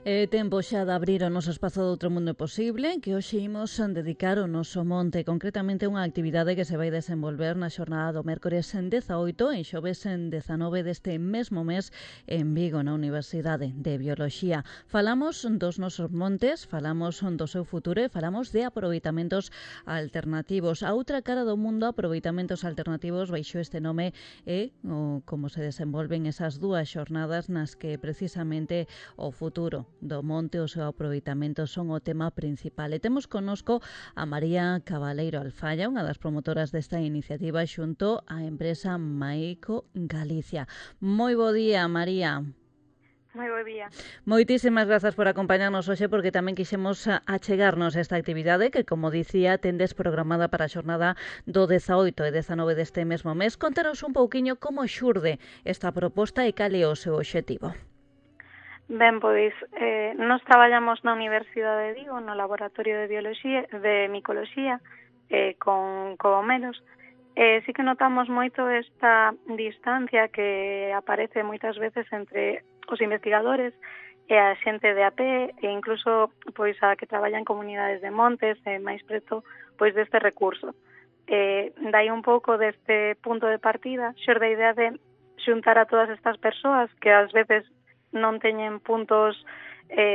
Tempo xa de abrir o noso espazo do Outro Mundo Posible, que hoxe imos dedicar o noso monte, concretamente unha actividade que se vai desenvolver na xornada do mércores en 18 e xoves en 19 deste mesmo mes en Vigo, na Universidade de Bioloxía. Falamos dos nosos montes, falamos do seu futuro e falamos de aproveitamentos alternativos. A outra cara do mundo, aproveitamentos alternativos, baixo este nome é como se desenvolven esas dúas xornadas nas que precisamente o futuro do monte, o seu aproveitamento son o tema principal. E temos connosco a María Cabaleiro Alfaya, unha das promotoras desta iniciativa xunto á empresa Maico Galicia. Moi bo día, María. Moi bo día. Moitísimas grazas por acompañarnos hoxe, porque tamén quixemos achegarnos esta actividade que, como dicía, tendes programada para a xornada do 18 e 19 deste mesmo mes. Contanos un pouquiño como xurde esta proposta e cal é o seu obxectivo. Ben, pois, nós traballamos na Universidade de Vigo, no Laboratorio de Bioloxía, de Micoloxía, con cogomelos. Sí que notamos moito esta distancia que aparece moitas veces entre os investigadores e a xente de a pé, e incluso pois a que traballa en comunidades de montes, máis preto pois deste recurso. Dai un pouco deste punto de partida, xorde a idea de xuntar a todas estas persoas que ás veces non teñen puntos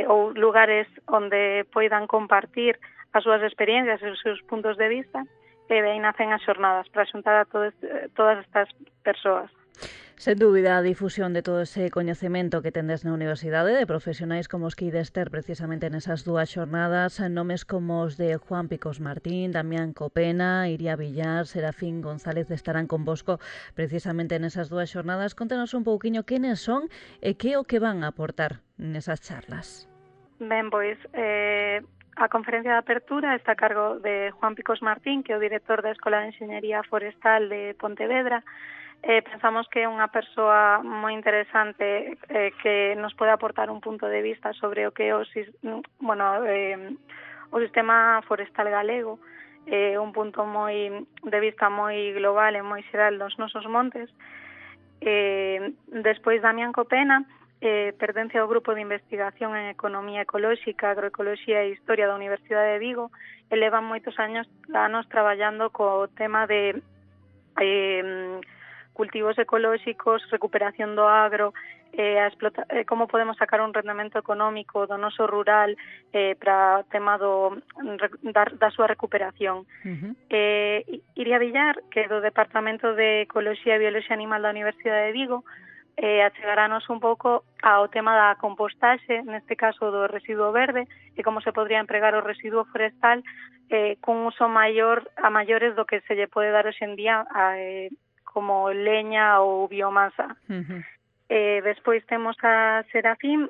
ou lugares onde poidan compartir as súas experiencias e os seus puntos de vista, e aí nacen as xornadas para xuntar a todas estas persoas. Sen dúbida, a difusión de todo ese coñecemento que tendes na universidade, de profesionais como os que ides ter precisamente nesas dúas xornadas, nomes como os de Juan Picos Martín, Damián Copena, Iria Villar, Serafín González estarán convosco precisamente nesas dúas xornadas. Contanos un pouquiño quenes son e que o que van a aportar nesas charlas. Ben, pois, a conferencia de apertura está a cargo de Juan Picos Martín, que é o director da Escola de Enxeñería Forestal de Pontevedra. Pensamos que é unha persoa moi interesante que nos pode aportar un punto de vista sobre o que é o sistema forestal galego, un punto de vista moi global e moi xeral dos nosos montes. Despois, Damián Copena pertence ao grupo de investigación en economía ecolóxica, agroecoloxía e historia da Universidade de Vigo, e levan moitos anos traballando co tema de cultivos ecolóxicos, recuperación do agro, como podemos sacar un rendemento económico do noso rural para o tema da súa recuperación. Iria Villar, que é do Departamento de Ecoloxía e Bioloxía Animal da Universidade de Vigo, achegarános un pouco ao tema da compostaxe, neste caso do residuo verde, e como se podría empregar o residuo forestal cun uso maior a maiores do que se lle pode dar hoxe en día como leña ou biomasa. Despois temos a Serafín,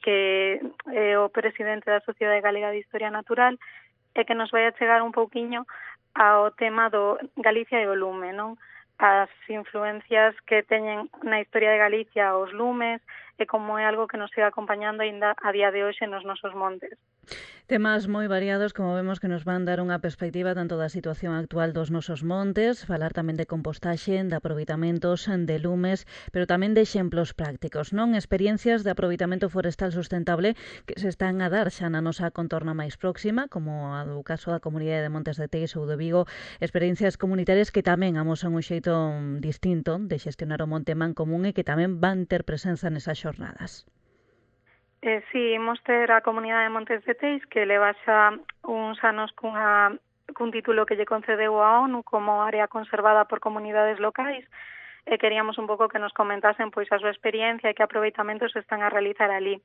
que é o presidente da Sociedade Galega de Historia Natural, e que nos vai a chegar un pouquiño ao tema do Galicia e o lume, non? As influencias que teñen na historia de Galicia os lumes e como é algo que nos siga acompañando ainda a día de hoxe nos nosos montes. Temas moi variados, como vemos, que nos van dar unha perspectiva tanto da situación actual dos nosos montes, falar tamén de compostaxe, de aproveitamentos, de lumes, pero tamén de exemplos prácticos, non? Experiencias de aproveitamento forestal sustentable que se están a dar xa na nosa contorna máis próxima, como a do caso da Comunidade de Montes de Teis ou de Vigo, experiencias comunitarias que tamén amosan un xeito distinto de xestionar o monte mancomunn e que tamén van ter presenza nesas xornadas. Sí, imos ter a Comunidade de Montes de Teis, que leva xa uns anos cun título que lle concedeu a ONU como área conservada por comunidades locais, e queríamos un pouco que nos comentasen pois a súa experiencia e que aproveitamentos se están a realizar ali.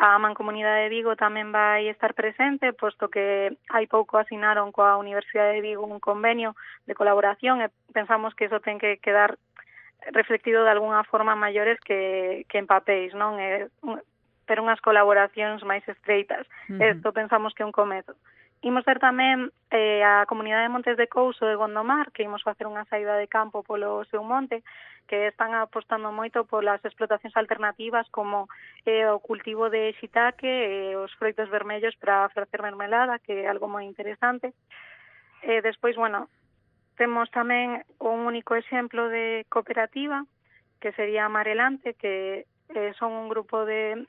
A Mancomunidade de Vigo tamén vai estar presente, posto que hai pouco asinaron coa Universidade de Vigo un convenio de colaboración, e pensamos que iso ten que quedar reflectido de alguna forma maiores que en papéis, non? Pero unhas colaboracións máis estreitas. Isto pensamos que é un comezo. Imos ter tamén a Comunidade de Montes de Couso de Gondomar, que imos facer unha saída de campo polo seu monte, que están apostando moito polas explotacións alternativas como o cultivo de shiitake e os froitos vermellos para facer mermelada, que é algo moi interesante. Despois, temos tamén un único exemplo de cooperativa, que sería Amarelante, que son un grupo de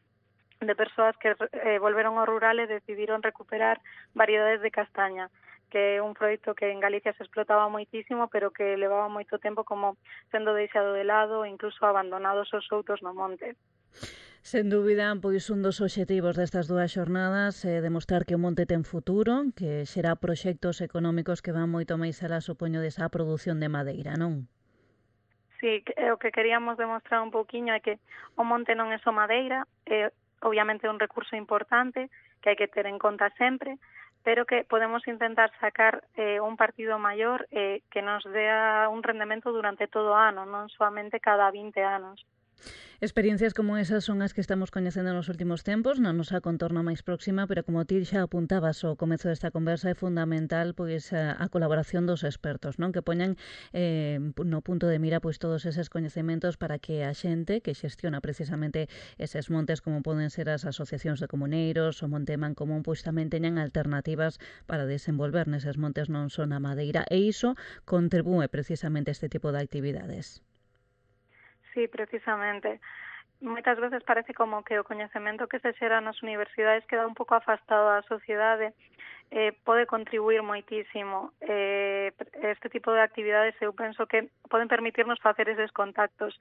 de persoas que volveron ao rural e decidiron recuperar variedades de castaña, que é un proxecto que en Galicia se explotaba moitísimo, pero que levaba moito tempo como sendo deixado de lado e incluso abandonados os outros no monte. Sen dúbida, pois un dos obxectivos destas dúas xornadas é demostrar que o monte ten futuro, que xera proxectos económicos que van moito máis alá, supoño, desa produción de madeira, non? Sí, o que queríamos demostrar un pouquiño é que o monte non é só madeira, é obviamente un recurso importante que hai que ter en conta sempre, pero que podemos intentar sacar un partido maior que nos dea un rendemento durante todo o ano, non solamente cada 20 anos. Experiencias como esas son as que estamos coñecendo nos últimos tempos, na nosa contorna máis próxima, pero como ti xa apuntabas ao comezo desta conversa, é fundamental pois a colaboración dos expertos, non? Que poñan no punto de mira pois todos eses coñecementos para que a xente que xestiona precisamente eses montes, como poden ser as asociacións de comuneiros, o Monte Mancomún, pois tamén teñan alternativas para desenvolver neses montes non só na madeira, e iso contribúe precisamente a este tipo de actividades. Sí, precisamente. Moitas veces parece como que o coñecemento que se xera nas universidades queda un pouco afastado da sociedade, pode contribuir moitísimo. Este tipo de actividades eu penso que poden permitirnos facer eses contactos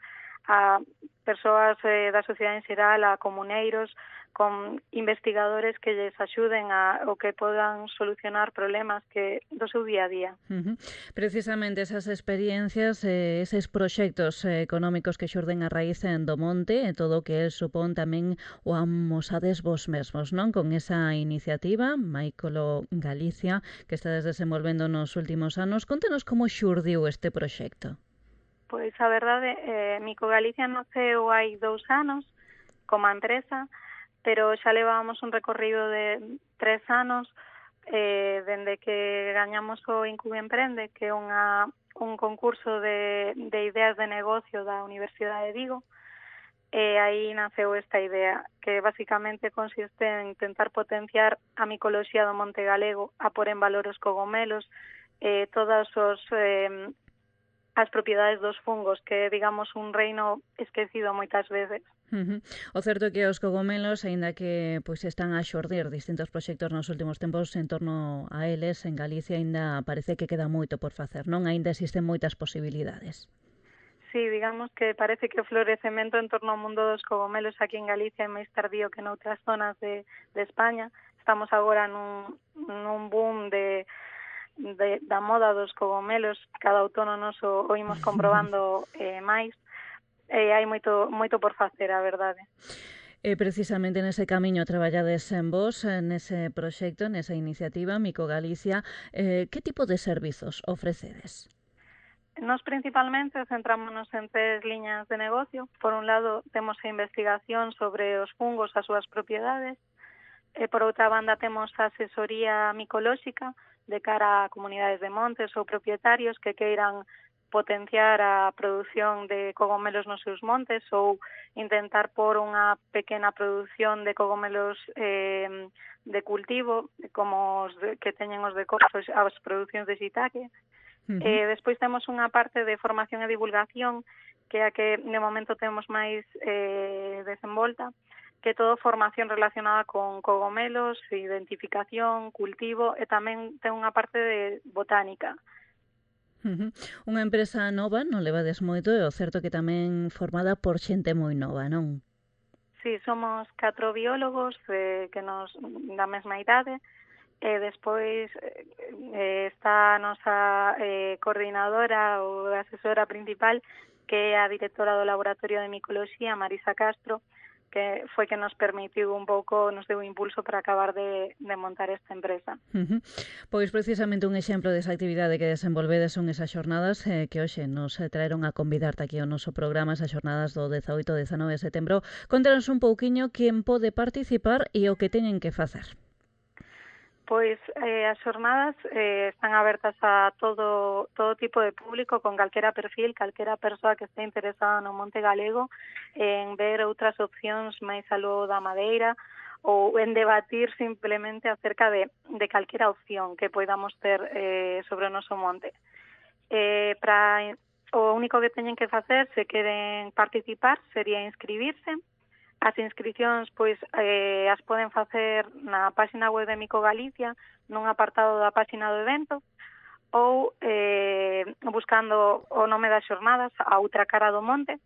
a persoas da sociedade en xeral, a comuneiros, con investigadores que lles axuden o que podan solucionar problemas que do seu día a día. Precisamente esas experiencias, eses proxectos económicos que xurden a raíz do monte e todo o que el supón tamén o amosades vos mesmos, non? Con esa iniciativa, Maicolo Galicia, que estades desenvolvendo nos últimos anos. Contenos como xurdiu este proxecto. Pois a verdade, Mico Galicia naceu hai 2 anos como empresa, pero xa levábamos un recorrido de 3 anos dende que gañamos o Incubi Emprende, que é un concurso de ideas de negocio da Universidade de Vigo, e aí naceu esta idea, que basicamente consiste en intentar potenciar a micoloxía do monte galego, a pôr en valor os cogomelos, todas as propiedades dos fungos, que é, digamos, un reino esquecido moitas veces. O certo é que os cogomelos, aínda que pois están a xordir distintos proxectos nos últimos tempos en torno a eles, en Galicia aínda parece que queda moito por facer, non? Aínda existen moitas posibilidades. Sí, digamos que parece que o florecemento en torno ao mundo dos cogomelos aquí en Galicia é máis tardío que noutras zonas de España. Estamos agora nun boom da moda dos cogomelos, cada outono nos o imos comprobando máis, hai moito por facer, a verdade. Precisamente nese camiño traballades en vos, nese proxecto, nesa iniciativa, Mico Galicia. Que tipo de servizos ofrecedes? Nos principalmente centrámonos en 3 liñas de negocio. Por un lado, temos a investigación sobre os fungos, as súas propiedades. Por outra banda, temos a asesoría micolóxica de cara a comunidades de montes ou propietarios que queiran potenciar a produción de cogomelos nos seus montes ou intentar pôr unha pequena produción de cogomelos de cultivo, como os que teñen os de corzo, as producións de shiitake. Despois temos unha parte de formación e divulgación, que é a que de momento temos máis desenvolta, que todo formación relacionada con cogomelos, identificación, cultivo e tamén ten unha parte de botánica. Unha empresa nova, non levades moito, e o certo que tamén formada por xente moi nova, non? Sí, somos 4 biólogos que nos da mesma idade, e despois está a nosa coordinadora ou asesora principal, que é a directora do Laboratorio de Micoloxía, Marisa Castro, que foi que nos permitiu un pouco, nos deu impulso para acabar de montar esta empresa. Pois precisamente un exemplo desa actividade que desenvolvedes son esas xornadas que hoxe nos traeron a convidarte aquí ao noso programa, esas xornadas do 18 e 19 de setembro. Contanos un pouquiño quen pode participar e o que teñen que facer. Pois as xornadas están abertas a todo tipo de público, con calquera perfil, calquera persoa que este interesada no monte galego, en ver outras opcións máis aló da madeira, ou en debatir simplemente acerca de calquera opción que podamos ter sobre o noso monte. O único que teñen que facer, se queren participar, sería inscribirse. As inscricións pois as poden facer na página web de Mico Galicia, nun apartado da página do evento, ou buscando o nome das xornadas, a outra cara do monte,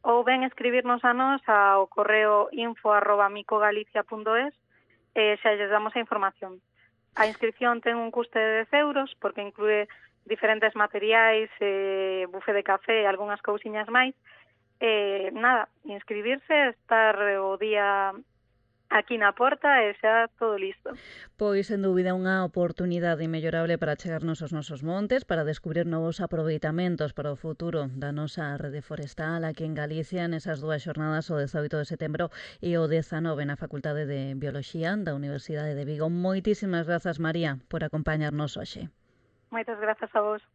ou ben escribirnos a nós ao correo info@micogalicia.es e xa lles damos a información. A inscripción ten un custe de 10 euros porque inclúe diferentes materiais, bufe de café e algunhas cousiñas máis. Nada, inscribirse, estar o día aquí na porta e xa todo listo. Pois, sen dúbida, unha oportunidade inmellorable para chegarnos aos nosos montes, para descubrir novos aproveitamentos para o futuro da nosa rede forestal aquí en Galicia nesas dúas xornadas, o 18 de setembro e o 19 na Facultade de Bioloxía da Universidade de Vigo. Moitísimas grazas, María, por acompañarnos hoxe. Moitas grazas a vos.